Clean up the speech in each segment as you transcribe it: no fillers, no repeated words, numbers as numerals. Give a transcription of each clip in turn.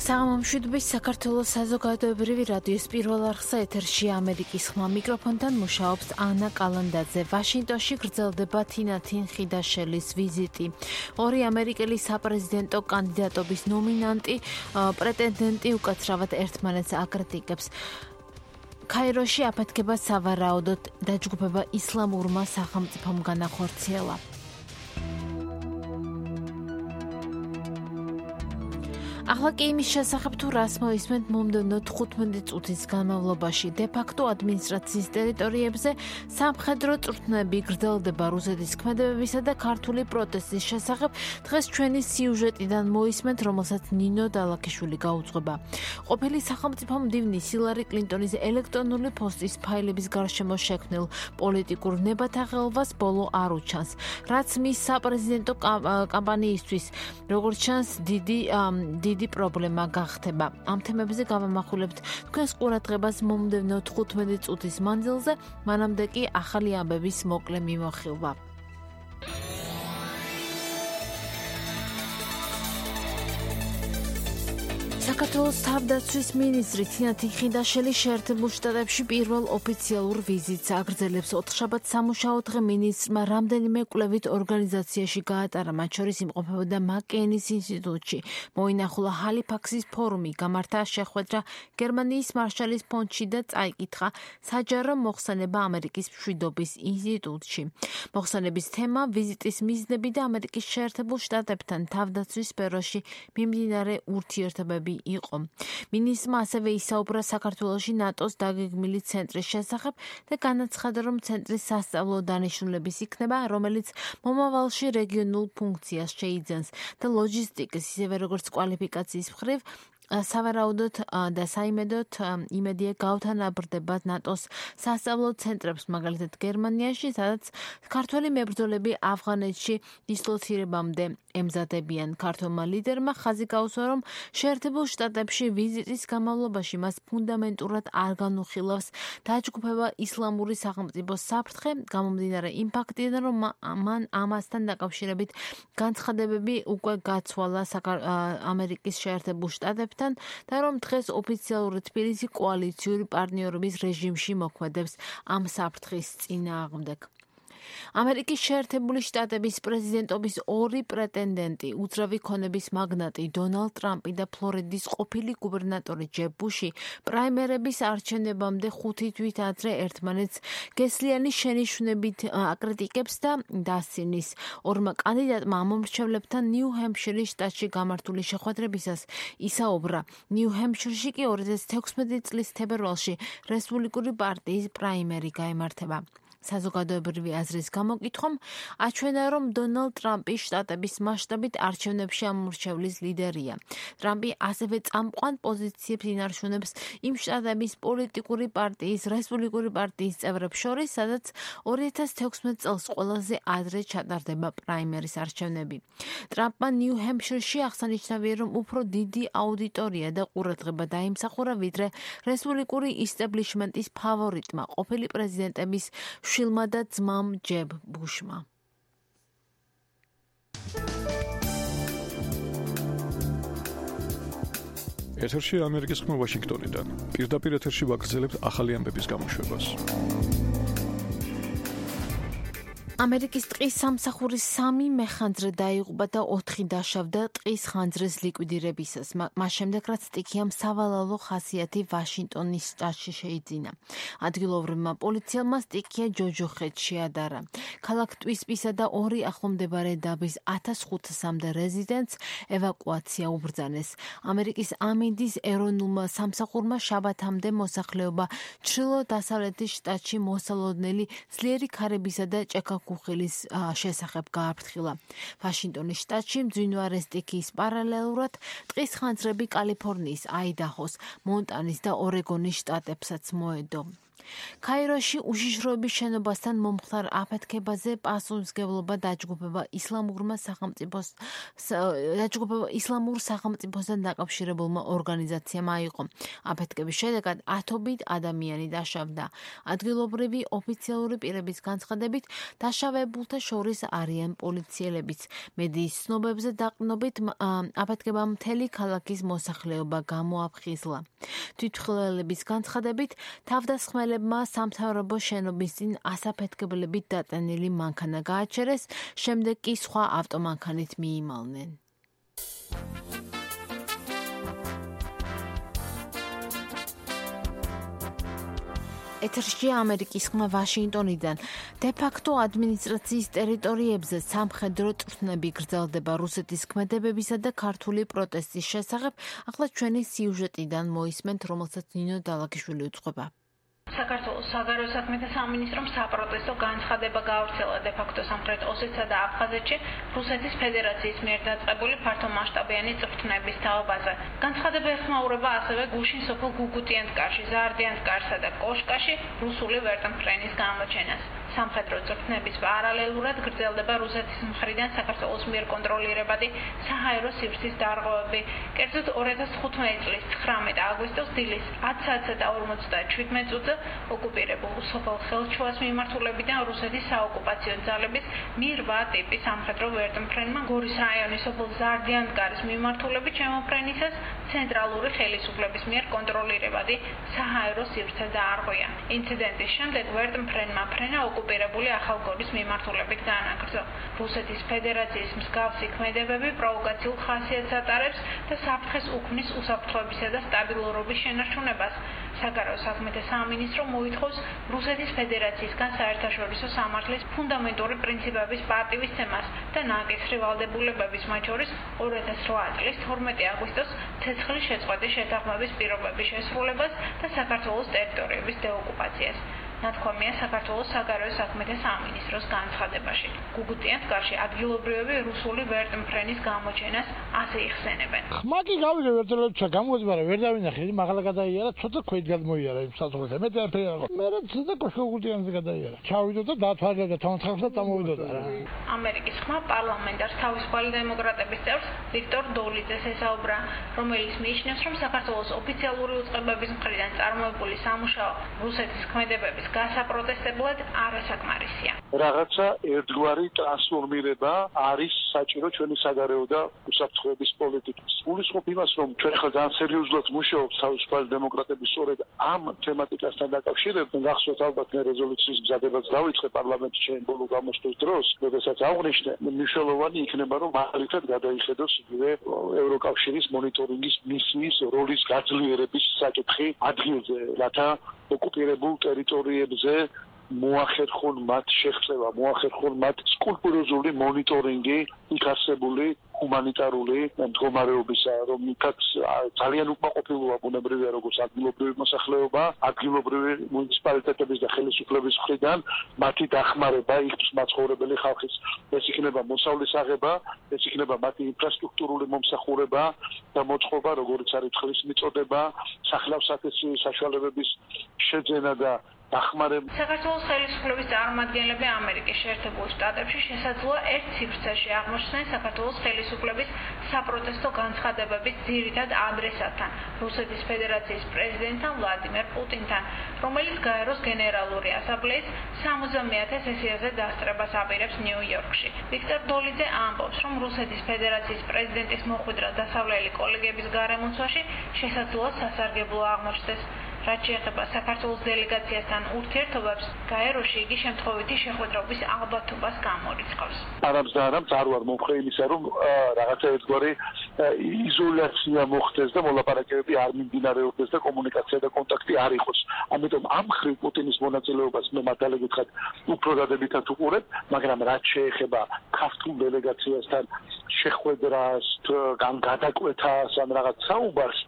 საღამომშვიდობის საქართველოს საზოგადოებრივი რადიოს პირველ არხსა ეთერში ამერიკის ხმა მიკროფონთან მუშაობს ანა კალანდაძე. ვაშინგტონში გრძელდება თინათინ ხიდაშელის ვიზიტი. ორი ამერიკელი საპრეზიდენტო კანდიდატობის ნომინანტი პრეტენდენტი უკაცრავად ერთმანეთს აკრიტიკებს. ქაიროში აფეთქება სავარაუდოდ დაჯგუფება ისლამურმა სახელმწიფომ განახორციელა. ახლა კი იმის შესახებ თუ რას მოისმენთ მომდევნო 15 წუთის განმავლობაში დე-ფაქტო ადმინისტრაციის ტერიტორიებზე სამხედრო წვრთნები გრძელდება რუსეთის ქმედებებისა და ქართული პროტესტის შესახებ დღეს ჩვენი სიუჟეტიდან მოისმენთ, რომელსაც ნინო დალაქიშვილი გაუძღვება. ყოფილი სახელმწიფო მდივნის ჰილარი კლინტონის ელექტრონული პოსტის ფაილების გარშემო შექმნილ პოლიტიკურ ნებათაღელვას ბოლო არ უჩანს, რაც მის საპრეზიდენტო კამპანიისთვის როგორც ჩანს დიდი პრობლემა გახდება. ამ თემებზე გავამახვილებთ თქვენს ყურადღებას მომდევნო 15 წუთის მანძილზე, მანამდე კი ახალი ამბების მოკლე მიმოხილვა. საქართველოს თავდაცვის მინისტრი თინათინ ხიდაშელი შეერთებულ შტატებში პირველ ოფიციალურ ვიზიტს აგრძელებს. ოთხშაბათ სამუშაო დღე მინისტრმა რამდენიმე კვლევით ორგანიზაციაში გაატარა, მათ შორის იმყოფებოდა მაკეინის ინსტიტუტში, მოინახულა ჰალიფაქსის ფორუმი, გამართა შეხვედრა გერმანიის მარშალის ფონდში და წაიკითხა საჯარო მოხსენება ამერიკის მშვიდობის ინსტიტუტში. მოხსენების თემა, ვიზიტის მიზნები და ამერიკის შეერთებულ შტატებთან თავდაცვის სფეროში მიმდინარე ურთიერთობები იყო. მინისტრმა ასევე ისაუბრა საქართველოში ნატოს დაგეგმილი ცენტრის შესახებ და განაცხადა, რომ ცენტრის სასწავლო დანიშნულების იქნება, რომელიც მომავალში რეგიონულ ფუნქციას შეიძენს და ლოჯისტიკის, ისევე როგორც კვალიფიკაციის მხრივ სავარაუდოდ და საიმედოდ იმედია გავთანაბრდება ნატოს სასწავლო ცენტრებს, მაგალითად გერმანიაში, სადაც ქართველი მებრძოლები ავღანეთში დისლოცირებამდე ემზადებიან. ქართველმა ლიდერმა ხაზი გაუსვა, რომ შეერთებულ შტატებში ვიზიტის განმავლობაში მას ფუნდამენტურად არ განუხილავს დაჯგუფება ისლამური სახელმწიფოს საფრთხე, გამომდინარე იმ ფაქტიდან, რომ მან ამასთან დაკავშირებით განცხადებები უკვე გაცვალა ამერიკის შეერთებულ შტატებთან და რომ დღეს ოფიციალურად თბილისი კოალიციური პარტნიორობის რეჟიმში მოქმედებს ამ საფრთხის წინააღმდეგ. ამერიკის შეერთებული შტატების პრეზიდენტობის ორი პრეტენდენტი, უძრავი ქონების მაგნატი დონალდ ტრამპი და ფლორიდის ყოფილი გუბერნატორი ჯებ ბუში, პრაიმერების არჩევნებამდე 5 თვით ადრე ერთმანეთს გესლიანი შენიშვნებით აკრიტიკებს და დასცინის. ორმა კანდიდატმა ამომრჩევლებთან ნიუ-ჰემფშირის შტატში გამართული შეხვედრებისას ისაუბრა. ნიუ-ჰემფშირში კი 2016 წლის თებერვალში რესპუბლიკური პარტიის პრაიმერი გაიმართება. საზოგადოებრივი აზრის გამოკითხვამ აჩვენა, რომ დონალდ ტრამპი შტატების მასშტაბით არჩევნებში ამორჩევლის ლიდერია. ტრამპი ასევე წამყვან პოზიციებს ინარჩუნებს იმ შტატების პოლიტიკური პარტიის, რესპუბლიკური პარტიის წევრებს შორის, სადაც 2016 წელს ყველაზე ადრე ჩატარდება პრაიმერის არჩევნები. ტრამპმა ნიუ-ჰემფშირში აღსანიშნავია, რომ უფრო დიდი აუდიტორია და ყურადღება დაიმსახურა, ვიდრე რესპუბლიკური ისტებლიშმენტის ფავორიტმა, ყოფილი პრეზიდენტების შვილმა და ძმამ ჯებ ბუშმა. ეთერში ამერიკის ხმა ვაშინგტონიდან. პირდაპირ ეთერში ვაგრძელებთ ახალი ამბების გამოშვებას. ამერიკის ტყის სამსახურის 3 მეხანძრე დაიღუპა და 4 დაშავდა ტყის ხანძრის ლიკვიდირებისას. მას შემდეგ, რაც სტიქიამ სავალალო ხასიათი ვაშინგტონის შტატში შეიძინა. ადგილობრივმა პოლიციელმა სტიქია ჯოჯოხეთს შეადარა. ქალაქ ტვისპისა და 2 ახლომდებარე დაბის 1500-მდე რეზიდენტს ევაკუაცია უბრძანეს. ამერიკის ამინდის ეროვნულმა სამსახურმა შაბათამდე მოსახლეობა ჩრდილო-დასავლეთის შტატში მოსალოდნელი ძლიერი ქარებისა და ჭექა-ქუხილის შესახებ გააფრთხილა. ვაშინგტონის შტატში მძვინვარე სტიქიის პარალელურად ტყის ხანძრები კალიფორნიის, აიდაჰოს, მონტანის და ორეგონის შტატებსაც მოედო. ქაიროში უშიშროების შენობასთან მომხდარ აფეთქებაზე პასუხისმგებლობა დაჯგუფება ისლამურ სახელმწიფოსთან დაკავშირებულმა ორგანიზაციამ აიღო. აფეთქების შედეგად 10 ადამიანი დაშავდა. ადგილობრივი ოფიციალური პირების განცხადებით, დაშავებულთა შორის არიან პოლიციელებიც. მედიის ცნობებზე დაყრდნობით აფეთქებამ მთელი ქალაქის მოსახლეობა გამოაფხიზლა. თვითმხილველების განცხადებით, თავდამსხმელებმა სამთავრობო შენობის წინ ასაფეთქებლებით დატანილი მანქანა გააჩერეს, შემდეგ კი სხვა ავტომანქანით მიიმალნენ. ეთერშია ამერიკის ხმა ვაშინგტონიდან. დე-ფაქტო ადმინისტრაციის ტერიტორიებზე სამხედრო წვრთნები გრძელდება რუსეთის ქმედებებისა და ქართული პროტესტის შესახებ. ახლა ჩვენი სიუჟეტიდან მოისმენთ, რომელსაც ნინო დალაგიშვილი უძღვება. საქართველოს საგარეო საქმეთა სამინისტრომ საპროტესტო განცხადება გაავრცელა დე-ფაქტო სამხრეთ ოსეთსა და აფხაზეთში რუსეთის ფედერაციის მიერ დაწყებული ფართომასშტაბიანი წვრთნების თაობაზე. განცხადება ეხმაურება ასევე გუშინ სოფელ გუგუტიანსკაში, ზაარდიანსკარსა და კოშკაში რუსული ვერტმფრენის გამოჩენას. სამხედრო წვრთნების პარალელურად გრძელდება რუსეთის მხრიდან საქართველოს მიერ კონტროლირებადი საჰაერო სივრცის დარღვევები. კერძოდ 2015 წლის 19 აგვისტოს დილის 10 საათსა და 57 მინუტზე ოკუპირებულ სოფელ ხელჩუას მიმართულებიდან რუსეთის საოკუპაციო ძალების მი-8 ტიპის სამხედრო ვერტმფრენმა გორის რაიონის სოფელ ზაარდიანსკარის მიმართულებით შემოფრენისას ცენტრალური ხელისუფლების მიერ კონტროლირებადი საჰაერო სივრცე დაარღვია. ინციდენტის შემდეგ ვერტმფრენმა ფრენა ოკუპირებული ახალგორის მიმართულებით განაგრძო. რუსეთის ფედერაციის მსგავსი ქმედებები პროვოკაციულ ხასიათს ატარებს და საფრთხეს უქმნის უსაფრთხოებისა და სტაბილურობის შენარჩუნებას. საგარეო საქმეთა სამინისტრო მოითხოვს რუსეთის ფედერაციისგან საერთაშორისო სამართლის ფუნდამენტური პრინციპების პატივისცემას და ნაკისრი ვალდებულებების, მათ შორის 2008 წლის 12 აგვისტოს ცეცხლის შეწყვეტის შეთანხმების პირობების შესრულებას და საქართველოს ტერიტორიების დეოკუპაციას. ნათქვამია საქართველოს საგარეო საქმეთა სამინისტროს განცხადებაში. გუგუტიანსკარში ადგილობრივები რუსული ვერტმფრენის გამოჩენას ასე იხსენებენ. ხმაკი გავიგე ვერტმფრენს გამოძბარა, ვერ დავინახე, მაღლა გადაიარა, ცოტა ქვით გადმოიარა იმ საზღვრზე. მე დააფერა. მე ცოტა გუგუტიანსკი გადაიარა. ჩავიდო და დათვალიერდა თანხმს და წამოვიდოდა რა. ამერიკის ხმა პარლამენტარს თავისუფალი დემოკრატების წევრს ვიქტორ დოლიძეს ესაუბრა, რომელიც მიიჩნევს, რომ საქართველოს ოფიციალური უწყებების მხრიდან წარმოებული სამუშაო რუსეთის ქმედებების გასაპროტესტებლად არასაკმარისია. რაღაცა ერთგვარი ტრანსფორმირება არის საჭირო ჩვენი საგარეო და უსაფრთხოების პოლიტიკის. გულისხმობ იმას, რომ ჩვენ ხა ძალიან სერიოზულად მუშაობთ თავისუფალი დემოკრატების სწორედ ამ თემატიკასთან დაკავშირებით. გახსოვთ ალბათ მე რეზოლუციის მზადებაც დავიწყე პარლამენტში ჩემ ბოლო გამოსვლის დროს, როდესაც აღვნიშნე, მნიშვნელოვანი იქნება, რომ მაგალითად გადაიხედოს იგივე ევროკავშირის მონიტორინგის მისიის როლის გაძლიერების საკითხი ადგილზე, რათა ოკუპირებულ ტერიტორიებზე მოახერხონ მათ შეღწევა, მოახერხონ მათ სკრუპულოზული მონიტორინგი იქ არსებული ჰუმანიტარული მდგომარეობისა, რომ იქაც ძალიან უკმაყოფილოა ბუნებრივია როგორც ადგილობრივი მოსახლეობა, ადგილობრივი მუნიციპალიტეტების და ხელისუფლების მხრიდან მათი დახმარება იქ მაცხოვრებელი ხალხის. ეს იქნება მოსავლის აღება, ეს იქნება მათი ინფრასტრუქტურული მომსახურება და მოწყობა, როგორც არის ხლის მიწოდება, სახლავსათესი საშუალებების შეძენა და დახმარება. საქართველოს ხელისუფლების წარმომადგენლები ამერიკის შეერთებულ შტატებში შესაძლოა ერთ ციფრში აღმოჩნდნენ საქართველოს ხელისუფლების საპროტესტო განცხადებების ძირითად ადრესატთან, რუსეთის ფედერაციის პრეზიდენტთან ვლადიმერ პუტინთან, რომელიც გაეროს გენერალური ასამბლეის 60-ე სესიაზე დასწრებას აპირებს ნიუ-იორკში. ვიქტორ დოლიძე ამბობს, რომ რუსეთის ფედერაციის პრეზიდენტის მოხვედრა დასავლელი კოლეგების გარემოცვაში შესაძლოა სასარგებლო აღმოჩნდეს. რაც შეეხება საქართველოს დელეგაციასთან ურთიერთობებს, გაეროში იგი შემთხვევითი შეხვედრობის ალბათობას გამორიცხავს. არამს და არამს არ ვარ მომხრე იმისა, რომ რაღაცა ერთგვარი იზოლაცია მოხდეს და მოლაპარაკებები არ მიმდინარეობდეს და კომუნიკაცია და კონტაქტი არ იყოს. ამიტომ ამ მხრივ პუტინის მონაწილეობას მე მართალი გითხრათ უფრო დადებითად უყურებ, მაგრამ რაც შეეხება ქართულ დელეგაციასთან შეხვედრას, გადაკვეთას ან რაღაც საუბარს,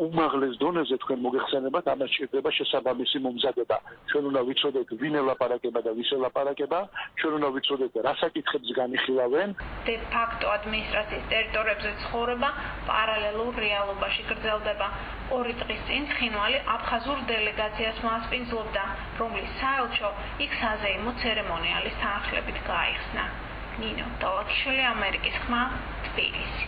უმაღლეს დონეზე თქვენ მოგეხსენებათ, ამას ჭირდება შესაბამისი მომზადება. ჩვენ უნდა ვიცოდეთ ვინ ელაპარაკება და ვის ელაპარაკება, ჩვენ უნდა ვიცოდეთ რა საკითხებს განიხილავენ. დე-ფაქტო ადმინისტრაციის ტერიტორიებზე ცხოვრ ცხოვრება პარალელურ რეალობაში გრძელდება. 2 დღის წინ ცხინვალი აფხაზურ დელეგაციას მოასპინძლობდა, რომლის საელჩო იქ საზეიმო ცერემონიალის თანხლებით გაიხსნა. ნინო დალაქიშვილი, ამერიკის ხმა, თბილისი.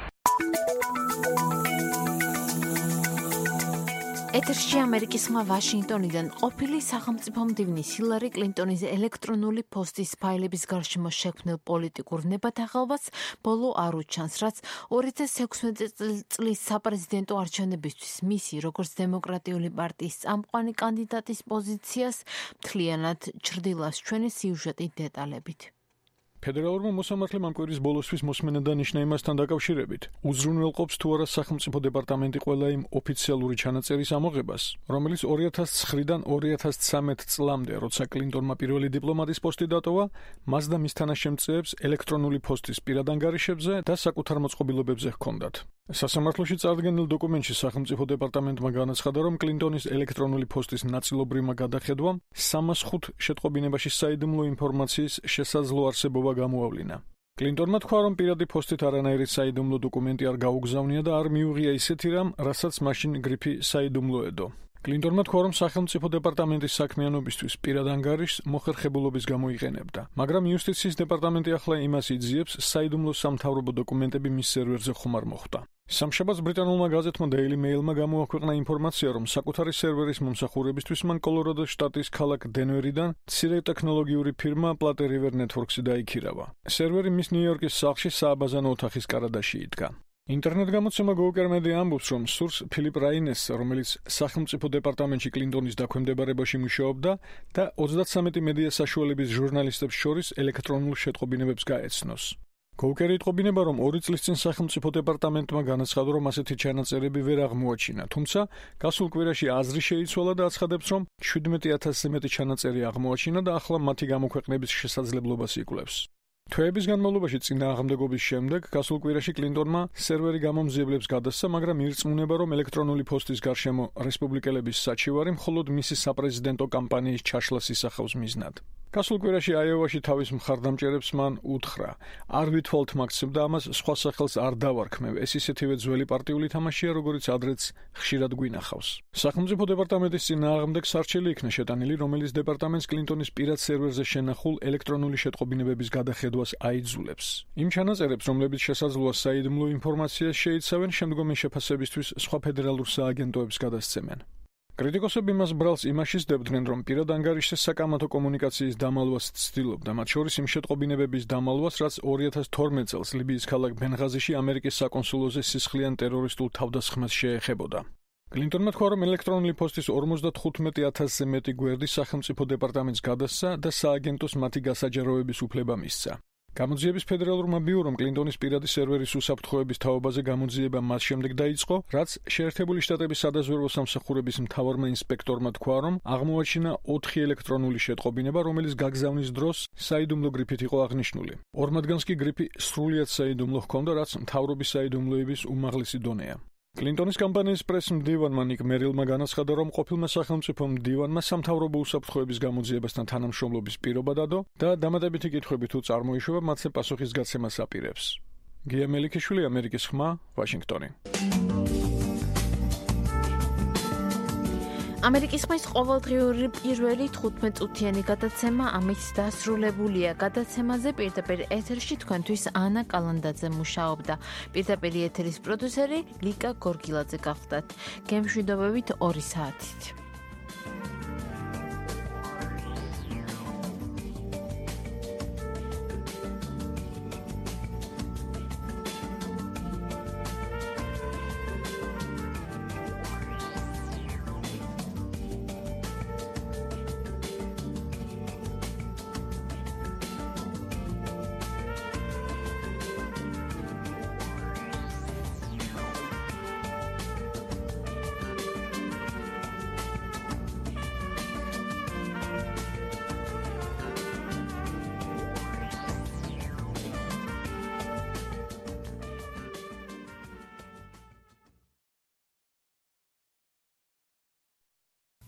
ეთერში ამერიკის ხმა ვაშინგტონიდან ყოფილი სახელმწიფო მდივნის ჰილარი კლინტონის ელექტრონული პოსტის ფაილების გარშემო შექმნილ პოლიტიკურ ნებათაღელვას ბოლო არ უჩანს, რაც 2016 წლის საპრეზიდენტო არჩევნებისთვის მისი როგორც დემოკრატიული პარტიის წამყვანი კანდიდატის პოზიციას მთლიანად ჩრდილას ჩვენი სიუჟეტი დეტალებით. ფედერალურმა მოსამართლემ ამ კვირის ბოლოსთვის მოსმენა დანიშნა იმასთან დაკავშირებით, უზრუნველყოფს თუ არა სახელმწიფო დეპარტამენტი ყველა იმ ოფიციალური ჩანაწერის ამოღებას, რომელიც 2009-დან 2013 წლამდე, როცა კლინტონმა პირველი დიპლომატის პოსტი დატოვა, მას და მის თანაშემწეებს ელექტრონული პოსტის პირად ანგარიშებზე და საკუთარ მოწყობილობებზე ჰქონდათ. სასამართლოში წარდგენილ დოკუმენტში სახელმწიფო დეპარტამენტმა განაცხადა, რომ კლინტონის ელექტრონული პოსტის ნაწილობრივმა გადახედვამ 305 შეტყობინებაში საიდუმლო ინფორმაციის შესაძლო არსებობა გამოავლინა. კლინტონმა თქვა, რომ პირადი პოსტით არანაირი საიდუმლო დოკუმენტი არ გაუგზავნია და არ მიუღია ისეთი რამ, რასაც მაშინ გრიფი საიდუმლო ედო. კლინტონმა თქვა, რომ სახელმწიფო დეპარტამენტის საქმიანობისთვის პირად ანგარიშს მოხერხებულობის გამო იყენებდა, მაგრამ იუსტიციის დეპარტამენტი ახლა იმას იძიებს, საიდუმლო სამთავრობო დოკუმენტები მის სერვერზე ხომ არ მოხვდა. სამშაბათს ბრიტანულმა გაზეთმა Daily Mail-მა გამოაქვეყნა ინფორმაცია, რომ საკუთარი სერვერის მომსახურებისთვის მან კოლორადოს შტატის ქალაქ დენვერიდან მცირე ტექნოლოგიური ფირმა Platte River Networks-ი დაიქირავა. სერვერი მის ნიუ-იორკის სახლში სააბაზანო ოთახის კარადაში იდგა. ინტერნეტ გამოცემა Gawker Media ამბობს, რომ სურს ფილიპ რაინესს, რომელიც სახელმწიფო დეპარტამენტში კლინტონის დაქვემდებარებაში მუშაობდა და 33 მედია საშუალების ჟურნალისტებს შორის ელექტრონულ შეტყობინებებს გაეცნოს. Gawker იტყობინება, რომ 2 წლის წინ სახელმწიფო დეპარტამენტმა განაცხადა, რომ ასეთი ჩანაწერები ვერ აღმოაჩინა, თუმცა გასულ კვირაში აზრი შეიცვალა და აცხადებს, რომ 17,000-ზე მეტი ჩანაწერი აღმოაჩინა და ახლა მათი გამოქვეყნების შესაძლებლობას იკვლევს. თვეების განმავლობაში წინააღმდეგობის შემდეგ გასულ კვირაში კლინტონმა სერვერი გამომძიებლებს გადასცა, მაგრამ ირწმუნება, რომ ელექტრონული პოსტის გარშემო რესპუბლიკელების საჩივარი მხოლოდ მისი საპრეზიდენტო კამპანიის ჩაშლას ისახავს მიზნად. გასულ კვირაში აიოვაში თავის მხარდამჭერებს მან უთხრა: არ ვითვალთ მაგცემ და ამას სხვა სახელს არ დავარქმევ, ეს ისეთივე ძველი პარტიული თამაშია, როგორც ადრეც ხშირად გვინახავს. სახელმწიფო დეპარტამენტის წინააღმდეგ სარჩელი იქნა შეტანილი, რომელიც დეპარტამენტს კლინტონის პირად სერვერზე შენახულ ელექტრონული შეტყობინებების გადახედვას აიძულებს. იმ ჩანაწერებს, რომლებიც შესაძლოა საიდუმლო ინფორმაციას შეიცავენ, შემდგომი შეფასებისთვის სხვა ფედერალურ სააგენტოებს გადასცემენ. კრიტიკოსები მას ბრალს იმაში სდებდნენ, რომ პირად ანგარიშზე საკამათო კომუნიკაციის დამალვას ცდილობდა, მათ შორის იმ შეტყობინებების დამალვას, რაც 2012 წელს ლიბიის ქალაქ ბენღაზიში ამერიკის საკონსულოზე სისხლიან ტერორისტულ თავდასხმას შეეხებოდა. კლინტონმა თქვა, რომ ელექტრონული პოსტის 55,000-ზე მეტი გვერდი სახელმწიფო დეპარტამენტს გადასცა და სააგენტოს მათი გასაჯაროების უფლება მისცა. გამოძიების ფედერალურმა ბიურომ კლინტონის პირადი სერვერის უსაფრთხოების თაობაზე გამოძიება მას შემდეგ დაიწყო, რაც შეერთებული შტატების სადაზვერვო სამსახურების მთავარმა ინსპექტორმა თქვა, რომ აღმოაჩინა 4 ელექტრონული შეტყობინება, რომელიც გაგზავნის დროს საიდუმლო გრიფით იყო აღნიშნული. 2 მათგანს კი გრიფი სრულიად საიდუმლო ჰქონდა, რაც მთავრობის საიდუმლოების უმაღლესი დონეა. კლინტონის კამპანიის პრეს-მდივანმა ნიკ მერილმა განაცხადა, რომ ყოფილმა სახელმწიფო მდივანმა სამთავრობო უსაფრთხოების გამოძიებასთან თანამშრომლობის პირობა დადო და დამატებითი კითხვები თუ წარმოიშვება, მათზე პასუხის გაცემას აპირებს. გია მელიქიშვილი, ამერიკის ხმა, ვაშინგტონი. ამერიკის ხმის ყოველდღიური პირველი 15 წუთიანი გადაცემა ამით დასრულებულია. გადაცემაზე პირდაპირ ეთერში თქვენთვის ანა კალანდაძე მუშაობდა. პირდაპირ ეთერის პროდიუსერი ლიკა გორგილაძე გახლდათ. გემშვიდობებით 2 საათით.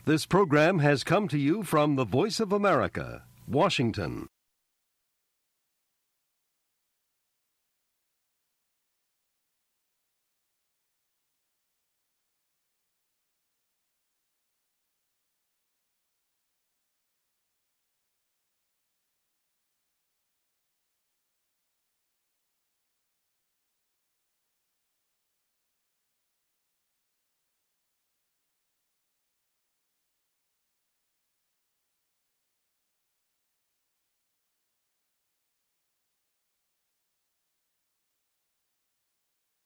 This program has come to you from the Voice of America, Washington.